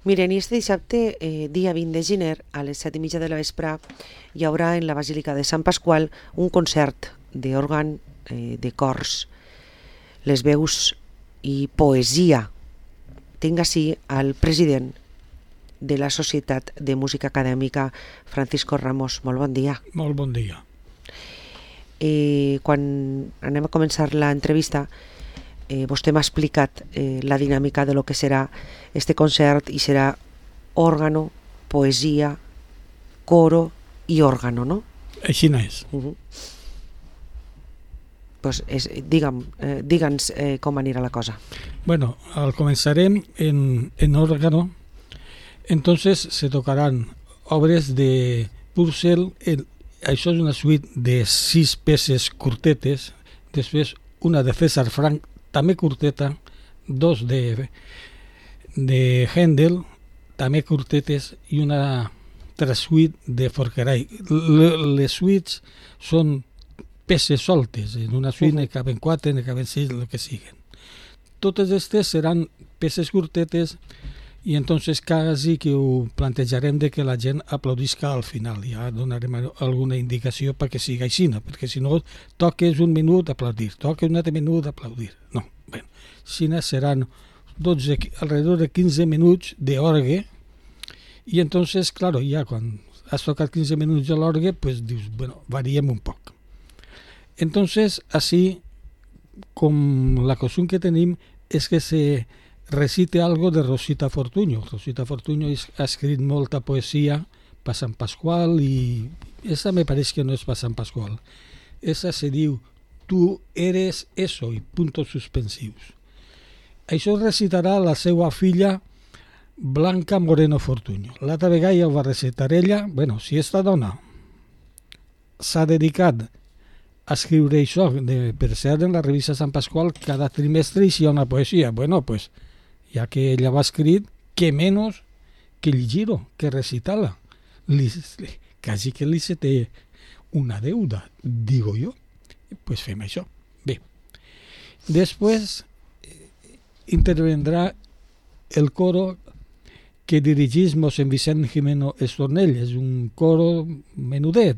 Miren, i este dissabte, dia 20 de gener, a les 7:30 de la vespre, hi haurà en la Basílica de Sant Pasqual un concert d'òrgan, de cors, les veus i poesia. Tinc ací al president de la Societat de Música Acadèmica, Francisco Ramos. Molt bon dia. Molt bon dia. Quan anem a començar l'entrevista, vostè m'ha explicat la dinàmica de lo que serà este concert, i serà òrgano, poesia, coro i òrgano, no? Així no és. Pues digue'ns com anirà la cosa. Bueno, comenzarem en órgano. Entonces se tocarán obres de Purcell. Això és una suite de 6 peces curtetes. Després una de César Frank, també curteta. 2 de Händel, també curtetes, i una altra suite de Forqueray. Les suites són peces soltes. En una suite ne caben 4, ne caben 6, el que siguen. Totes aquestes seran peces curtetes, i entonces quasi que ho plantejarem de que la gent aplaudisca al final. Ja donarem alguna indicació perquè sigui així, perquè si no toques un minut aplaudir, toques un altre minut aplaudir. No, bueno, si no seran alrededor de 15 minuts d'orgue, i entonces, claro, ya quan has tocat 15 minuts de l'orgue, pues dius, bueno, variem un poc. Entonces, así, com la costumbre que tenim és que se recite algo de Rosita Fortuño. Rosita Fortuño ha escrit molta poesia per Sant Pasqual, i esa me pareix que no és per Sant Pasqual. Esa se diu Tu eres eso, i puntos suspensius. Això recitarà la seva filla Blanca Moreno Fortuño. L'altra vegada ja ho va recitar ella. Bueno, si esta dona s'ha dedicat a escriure això, per ser en la revista Sant Pasqual, cada trimestre hi ha una poesia. Bueno, pues, ja que ella va escrit, que menys que llegir-ho, que recitar-la. Quasi que li se té una deuda, digo jo. Pues fem això. Bé. Després intervendrà el coro que dirigís mossèn Vicent Jimeno Estornell. És un coro menudet.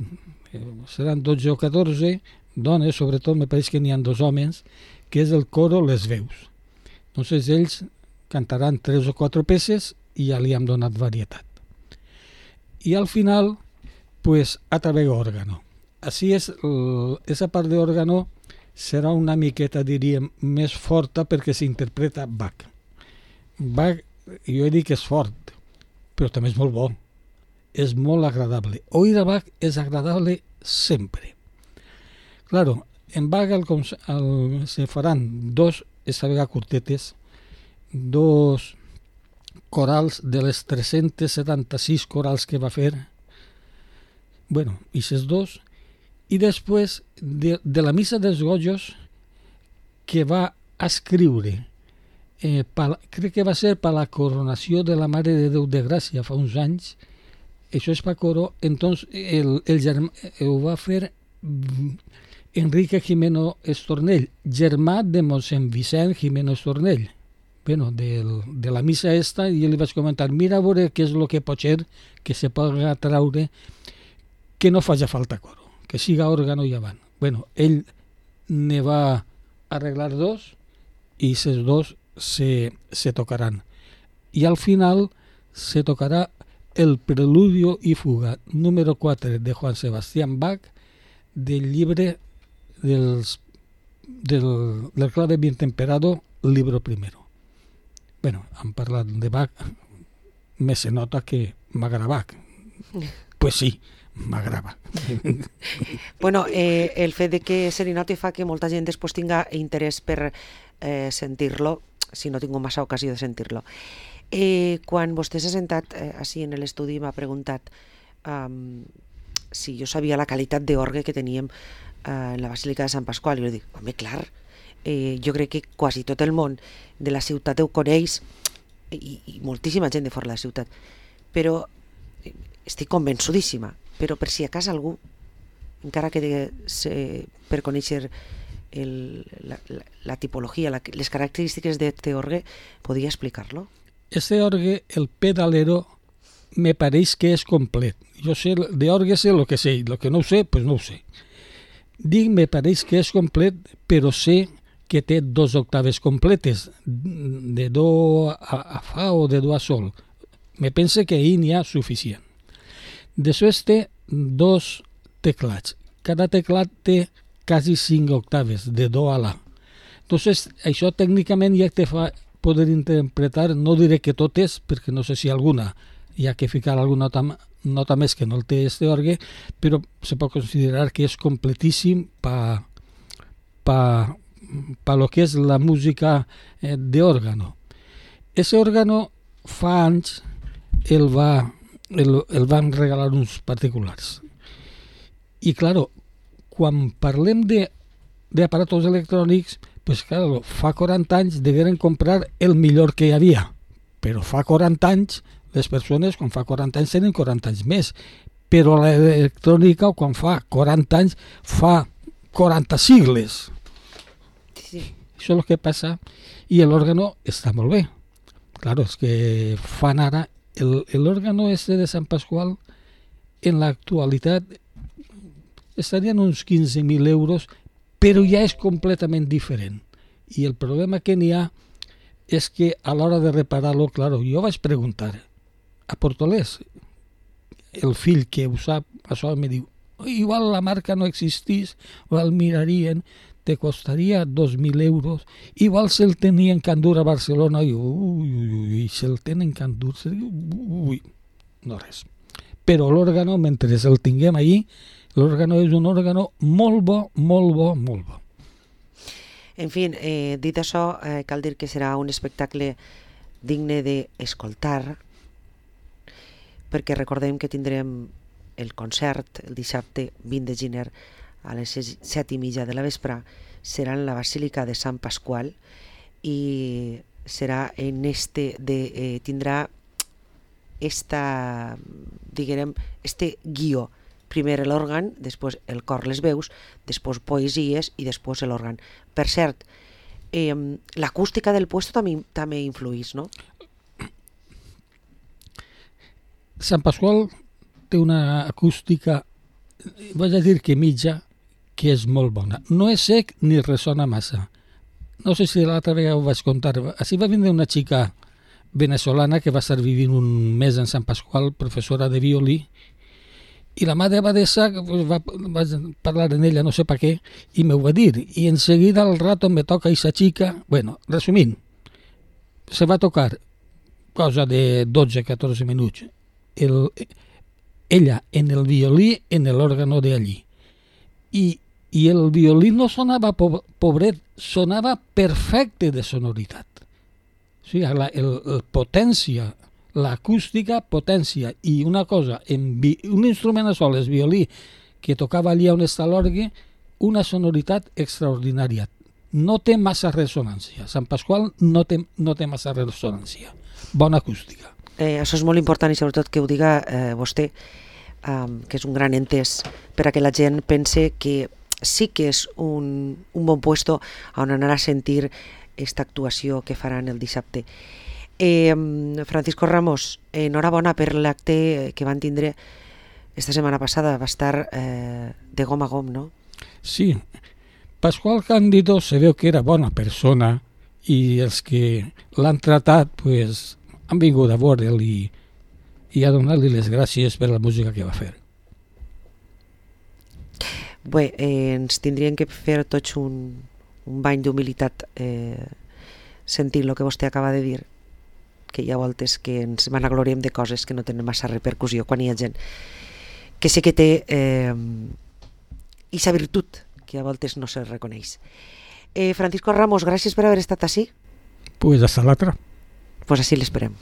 Seran 12 o 14 dones, sobretot me pareix que n'hi ha 2 homes, que és el coro Les Veus. Entonces ells cantaran 3 o 4 peces i ja li hem donat varietat. I al final, pues, a través d'òrgano. Així és, esa part d'òrgano serà una miqueta, diríem, més forta perquè s'interpreta Bach. Bach, jo he dit que és fort, però també és molt bo. És molt agradable. Oír a Bach és agradable sempre. Claro, en Bach se faran 2, esta vegada curtetes, 2 corals de les 376 corals que va fer. Bueno, aquests 2. I després de la missa dels Gojos, que va escriure, crec que va ser per la coronació de la Mare de Déu de Gràcia fa uns anys. Això és per coro. Entonces ho va fer Enrique Jimeno Estornell, germà de mossèn Vicent Jimeno Estornell. Bueno, de la missa esta, i jo li vaig comentar, mira a veure què és el que pot ser que se pugui traure, que no faci falta coro, que siga òrgano i avant. Bueno, ell ne va arreglar 2, i aquests 2 se tocaran. I al final se tocarà el Preludio i Fuga número 4 de Joan Sebastián Bach, del llibre del clave bien temperado, libro primero. Bueno, han parlat de Bach, me se nota que m'agrada Bach. Pues sí, m'agrada. Bueno, el fet de que se li noti fa que molta gent després tinga interès per sentir-lo, si no tinc massa ocasió de sentir-lo. Quan vostè s'ha sentat així en l'estudi, m'ha preguntat si jo sabia la qualitat d'orgue que teníem en la Basílica de Sant Pasqual. I jo dic, home, clar, jo crec que quasi tot el món de la ciutat ho coneix, i moltíssima gent de fora de la ciutat, però estic convençudíssima. Però per si a cas algú, encara que per conèixer la tipologia, les característiques d'orgue, podria explicar-lo? Este orgue, el pedalero, me pareix que és complet. Jo sé, d'orgue sé el que sé, el que no ho sé, pues no ho sé. Dic, me pareix que és complet, però sé que té 2 octaves completes, de do a fa o de do a sol. Me pense que ahir n'hi ha suficient. Després té 2 teclats. Cada teclat té quasi 5 octaves, de do a la. Entonces, això tècnicament ja te fa poder interpretar, no diré que totes, perquè no sé si alguna hi ha que ficar alguna nota més que no el té este orgue, però se pot considerar que és completíssim pa lo que és la música d'òrgano. Ese òrgano fa anys el van regalar uns particulars. I, claro, quan parlem d'aparatos electrònics, pues claro, fa 40 anys degueren comprar el millor que hi havia, però fa 40 anys les persones quan fa 40 anys tenen 40 anys més, però l'electrònica quan fa 40 anys fa 40 sigles. Sí. Això és el que passa, i l'òrgano està molt bé. Claro, és que fan ara l'òrgano este de Sant Pasqual en l'actualitat estarien uns 15.000 euros, però ja és completament diferent. I el problema que n'hi ha és que a l'hora de reparar-lo, claro, jo vaig preguntar a Portolès, el fill que ho sap, això em diu, igual la marca no existís, o el mirarien, te costaria 2.000 euros, igual se'l tenien que endur a Barcelona, i se'l tenen que endur, no res. Però l'òrgano, mentre el tinguem allí, l'òrgano és un òrgano molt bo, molt bo, molt bo. En fi, dit això, cal dir que serà un espectacle digne d'escoltar, perquè recordem que tindrem el concert el dissabte 20 de gener a les 7:30 de la vespre, serà en la Basílica de Sant Pasqual i serà en tindrà este guió. Primer l'òrgan, després el cor, les veus, després poesies i després l'òrgan. Per cert, l'acústica del puesto també influís, no? Sant Pasqual té una acústica, vaig a dir que mitja, que és molt bona. No és sec ni ressona massa. No sé si l'altra vegada ho vaig contar. Així va vindre una xica venezolana que va estar vivint un mes en Sant Pasqual, professora de violí, i la mare abadesa va parlar en ella, no sé per què, i m'ho va dir. I en seguida al rato me toca aquesta xica, bueno, resumint, se va tocar cosa de 12-14 minuts. Ella en el violí, en l'òrgano d'allí. I el violí no sonava pobret, sonava perfecte de sonoritat. O sigui, potència, l'acústica potència, i una cosa, un instrument a sol, el violí, que tocava allà on està l'orgue, una sonoritat extraordinària. No té massa ressonància. Sant Pasqual no té massa ressonància. Bona acústica. Això és molt important i sobretot que ho diga vostè, que és un gran entès per a que la gent pense que sí que és un bon puesto on anar a sentir aquesta actuació que faran el dissabte. Francisco Ramos, enhorabona per l'acte que van tindre esta setmana passada, va estar de gom a gom, no? Sí, Pasqual Cándido se veu que era bona persona i els que l'han tratat pues, han vingut a veure'l i a donar-li les gràcies per la música que va fer. Bé, ens tindrien que fer tots un bany d'humilitat sentint el que vostè acaba de dir, que hi ha voltes que ens vanagloriem de coses que no tenen massa repercussió quan hi ha gent que sí que té aquesta virtut que a voltes no se reconeix. Francisco Ramos, gràcies per haver estat així. Pues hasta l'altra. Pues així l'esperem.